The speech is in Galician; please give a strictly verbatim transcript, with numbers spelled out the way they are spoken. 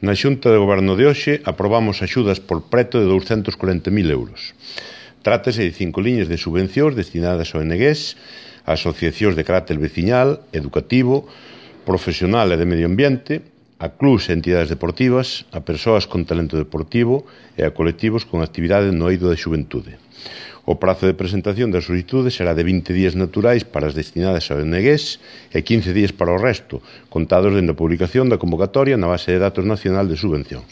Na Xunta de Goberno de hoxe aprobamos axudas por preto de douscentos corenta mil euros. Trátase de cinco liñas de subvencións destinadas a O N Gs, a asociacións de carácter veciñal, educativo, profesional e de medio ambiente, a clubs e entidades deportivas, a persoas con talento deportivo e a colectivos con actividade no eido da xuventude. O prazo de presentación das solicitudes será de vinte días naturais para as destinadas a O N Gs e quince días para o resto, contados dende a publicación da convocatoria na base de datos nacional de subvencións.